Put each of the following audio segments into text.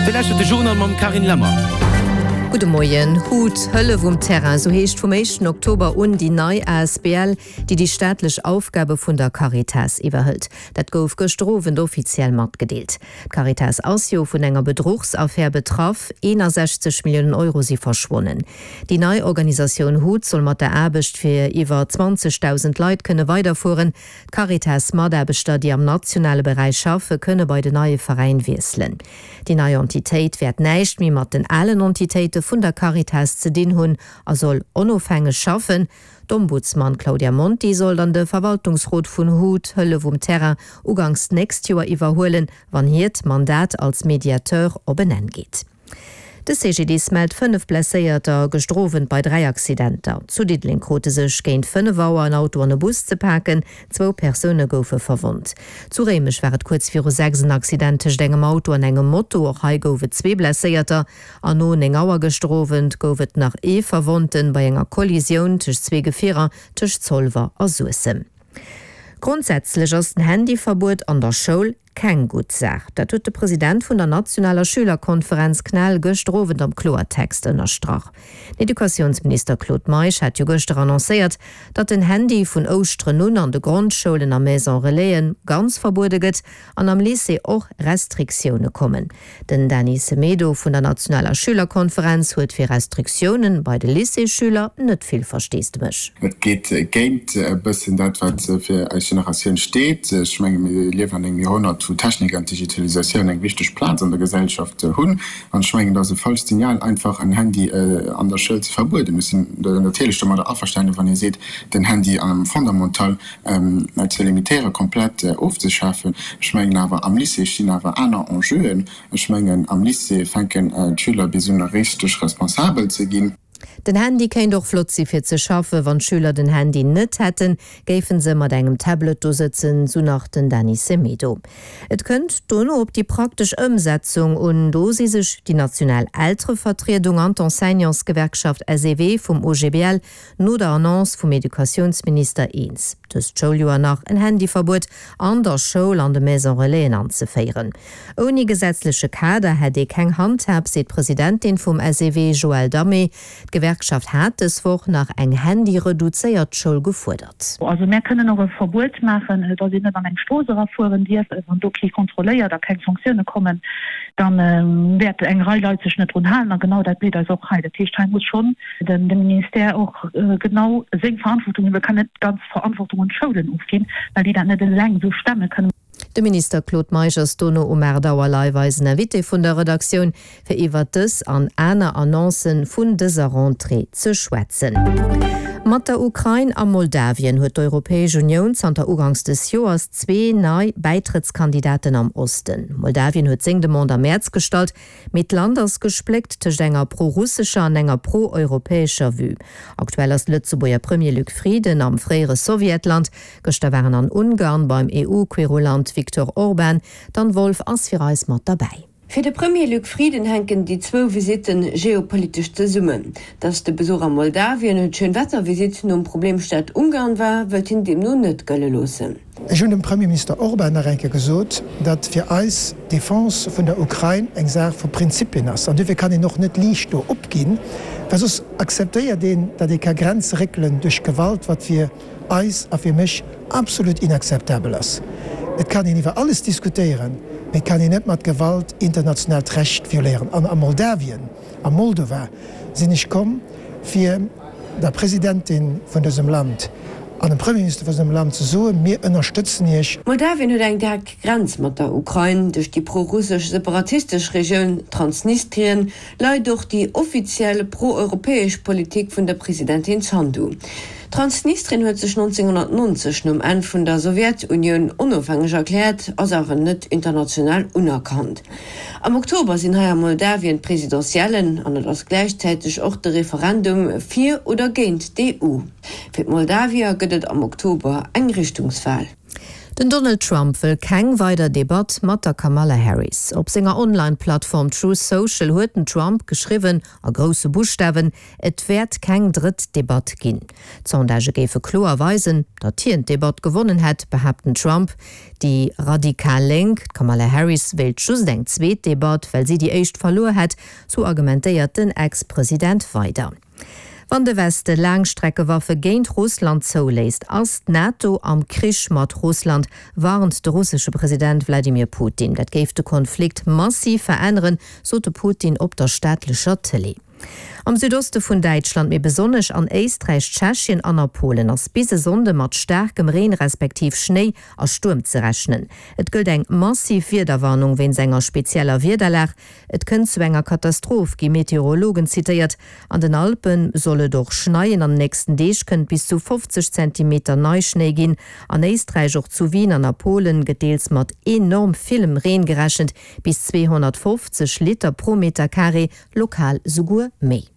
Dir lauschtert de Journal mam Carine Lemmer. Gudde Moien. Hut, Hëllef um Terrain, sou heescht vum éischten Oktober un déi nei asbl, déi déi staatlech Aufgabe vun der Caritas iwwerhëlt. Dat gouf gëschter Owend offiziell matgedeelt. D'Caritas ass jo vun enger Bedruchsaffär betraff, 61 Milliounen Euro si verschwonnen. Déi nei Organisatioun hut soll mat der Aarbecht fir iwwer 20.000 Leit kënne weiderfueren. D'Caritas-Mataarbechter, déi am nationale Beräich schaffe, kënne bei den neie Veräin wiesselen. Déi nei Entitéit wäert näischt méi mat den alen Entitéite vun der Caritas ze dinn hunn a soll onofhängeg schaffen. D'Ombudsman Claudia Monti soll dann de Verwaltungsrot vun hut, Hëllef um Terrain uganks d'nächst Joer iwwerhuelen, wann hiert Mandat als Mediateur op en Enn geet. De CGDIS mellt 5 Blesséierter gëschter Owend bei 3 Accidenter. Zu Diddeleng krute sech géint 5 Auer en Auto an e Bus ze paken, zwou Persoune goufe verwonnt. Zu Réimech war et kuerz viru 6 en Accident tëscht engem Auto an engem Moto, och hei gouf et zwee Blesséierter. An no 9 Auer gëschter Owend gouf et nach ee Verwonnten bei enger Kollisioun tëscht zwee Gefierer tëscht Zolwer a Suessem. Grondsätzlech ass den Handyverbuet an der Schoul Keng gutt Saach. Dat huet de President vun der nationaler Schülerkonferenz CNEL gëschter Owend am Kloertext ënnerstrach. Den Educatiounsminister Claude Meisch hat jo gëschter annoncéiert, datt den Handy vun Ouschteren un an de Grondschoulen a Maison Relaisen ganz verbuede gëtt an am Lycée och Restriktioune kommen. Den Dany Semedo vun der nationaler Schülerkonferenz huet fir Restriktiounen bei de Lycéesschüler net vill Versteesdemech. Et geet géint e bëssen dat, wat fir eis Generatioun steet. Ech menge mir liewen an engem Joerhonnert, wou d'Technik an d'Digitalisatioun eng wichteg Plaz an der Gesellschaft hunn. An ech mengen, et ass e falscht Signal, einfach en Handy an der Schoul ze verbueden. Ech sinn natierlech domadder averstanen, wann ee seet, den Handy am Fondamental ze limitéieren, komplett ofzeschafen. Ech mengen awer, am Lycée stinn awer aner Enjeuen. Ech mengen, am Lycée fänken d'Schüler bis un, richteg responsabel ze ginn. Den Handy kéint och flott si fir ze schaffen. Wann d'Schüler den Handy net hätten, géifen se mat engem Tablet do sëtzen, sou nach den Dany Semedo. Et kënnt dono op déi praktesch Ëmsetzung un. Do si sech déi national Elterevertriedung an d'Enseignantsgewerkschaft SEW vum OGBL no der Annonce vum Educatiounsminister eens, dëst Schouljoer nach en Handyverbuet an der Schoul an de Maison Relaisen anzeféieren. Ouni gesetzleche Kader hätt ee keng Handhab, seet d'Presidentin vum SEW Joëlle Damé. D'Gewerkschaft hat dës Woch nach eng handyreduzéiert Schoul gefuerdert. Also mär kënnen och e Verbuet maachen, datt een net an eng Strooss erafueren dierf. Wann do kee kontrolléiert a keng Sanktioune kommen, da wäert eng Rei Leit sech net drun halen. A genau dat blitt eis och hei. Dat heescht, hei muss schonn de Ministère och genau seng Verantwortung huelen. E kann net d'ganz Verantwortung un d'Schoulen ofginn, well déi dat net eleng esou stemme kënnen. De Minister Claude Meisch ass dono um 8 Auer live eisen Invité vun der Redaktioun, fir iwwert dës an aner Annoncen vun dëser Rentrée ze schwätzen. Mat der Ukrain a Moldawien huet d'Europäesch Unioun zanter uganks des Joers zwee nei Bäitrëttskandidaten am Osten. Moldawien huet seng Demande am Mäerz gestallt, Mee d'Land ass gespléckt tëscht enger pro-russescher an enger pro-europäescher Vue. Aktuell ass de Lëtzebuerger Premier Luc Frieden am fréiere Sowjetland. Gëschter war en an Ungarn beim EU-Querulant Viktor Orban. D'Anne Wolff ass fir eis mat derbäi. Fir de Premier Luc Frieden hänken déi zwou Visitte geopolitesch zesummen. Datt de Besuch a Moldawien et Schönwettervisitt nom Problemstaat Ungarn war, wëllt hien deemno net gëlle loossen. Ech hunn dem Premierminister Orban nach eng Kéier gesot, datt fir eis d'Defense vun der Ukrain eng Saach vu Prinzipien ass. An duerfir kann een och net liicht do opginn, well soss akzeptéiert een, datt ee ka Grenze réckelen duerch Gewalt, wat fir eis a fir mech absolut inakzeptabel ass. Et kann een iwwer alles diskutéieren, mee et kann een net mat Gewalt internationaalt Recht violéieren. An a Moldawien, a Moldova sinn ech komm, fir der Presidentin vun dësem Land an dem Premierminister vun dësem Land ze soen, Mir ënnerstëtzen Iech. Moldawien huet eng direkt Grenz mat der Ukrain. Duerch déi pro-russesch separatistesch Regioun Transnistrien leit och déi offiziell pro-europäesch Politik vun der Presidentin Sandu. Transnistrien huet sech 1990 nom Enn vun der Sowjetunioun onofhängeg erkläert, ass awer net international unerkannt. Am Oktober sinn hei a Moldawien d'Presidentiellen an et ass gläichzäiteg och de Referendum fir oder géint d'EU. Fir d'Moldawier gëtt et am Oktober eng Richtungswal. Den Donald Trump wëll keng weider Debatt mat der Kamala Harris. Op senger Online-Plattform Truth Social huet den Trump geschriwwen, a grousse Buschtawen, Et wäert keng drëtt Debatt ginn. D'Sondagë géife kloer weisen, datt hien d'Debatt gewonnen hätt, behaapt den Trump. Déi radikal Lénk, d'Kamala Harris, wéilt just eng zweet Debatt, well si déi éischt verluer hätt, sou argumentéiert den Ex-President weider. Wann de Weste Laangstreckewaffe géint Russland zouléisst, ass d'NATO am Krich mat Russland, warnt de russesche President Wladimir Putin. Dat géif de Konflikt massiv veränneren, sot de Putin op der staatlecher Tëlee. Am Südoste vun Däitschland, mee besonnesch an Éisträich, Tschechien an a Polen ass bis e Sonnde mat staarkem Reen respektiv Schnéi a Stuerm ze rechnen. Et gëllt eng massiv Wiederwarnung wéinst enger spezieller Wiederlag. Et kënnt zu enger Katastroph, gi Meteorologen zitéiert. An den Alpe soll et och schneien, an den nächsten Deeg kënnt bis zu 50 Zentimeter Neischnéi ginn. An Éisträich, och zu Wien an a Polen gëtt deels mat enorm villem Reen gerechent, bis 250 Liter pro Meter Carré, lokal souguer méi.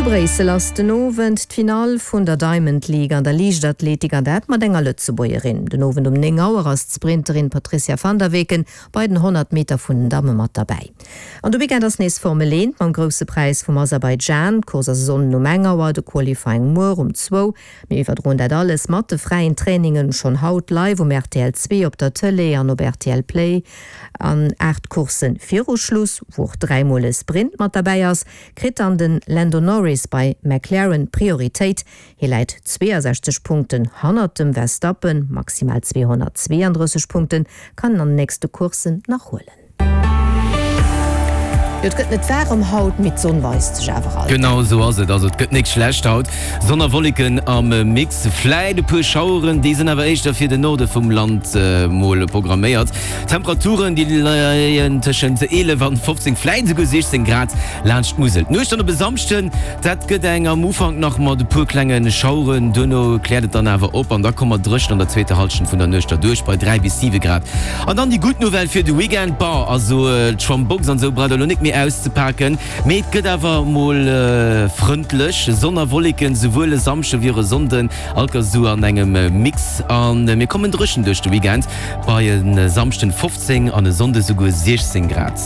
Zu Bréissel ass den Owend d'Finall vun der Diamond League an der Liichtathletik an dat mat enger Lëtzebuergerin. Den Owend um 9 Auer ass d'Sprinterin Patricia van der Weken bei den 100 Meter vun den Damme mat derbäi. An de Weekend ass nees Formel 1 mam Grousse Präis vum Aserbaidschan. D'Course ass e Sonnden um eng Auer, de Qualifying muer um zwou. Mir iwwerdroen dat alles mat de fräien Trainingen schonn haut live um rtl 2 op der Tëlee an op rtl Play. An 8 Coursse viru Schluss, wou och 3 mol e Sprint mat derbäi ass, kritt dann de Lando Norris bei McLaren d'Prioritéit. Hie läit 62 Punkten hannert dem Verstappen, maximal 232 Punkte kann en an den nächste Courssen nach huelen. Jo, et gëtt net waarem haut, mee d'Sonn weist sech awer alt. Genau esou ass et, also et gëtt nik schlecht haut. Sonn a Wolleken am Mix, vläit e puer Schaueren, déi sinn awer éischter fir den Norde vum Land mol programméiert. D'Temperaturen, déi leien tëschent 11 an 15, vläit esouguer 16 Grad laanscht d'Musel. D'Nuecht dann op e Samschden, dat gëtt eng am Ufank nach mat e puer klenge Schaueren, duerno kläert et dann awer op an da komme mer dréchen an der zweeter Hallschent vun der Nuecht derduerch bei 3 bis 7 Grad. An dann déi gutt Nouvelle fir de Weekend, Bon, also d'Schwammbox an esou braucht der elo nik méi auszepaken, mee et gëtt awer mol frëndlech, Sonn a Wolleken, souwuel e Samschde wéi och e Sonnden, alt ganz esou an engem Mix. A mir kommen dréchen duerch de Weekend, bei e Samschden 15 an e Sonnde souguer 16 Grad.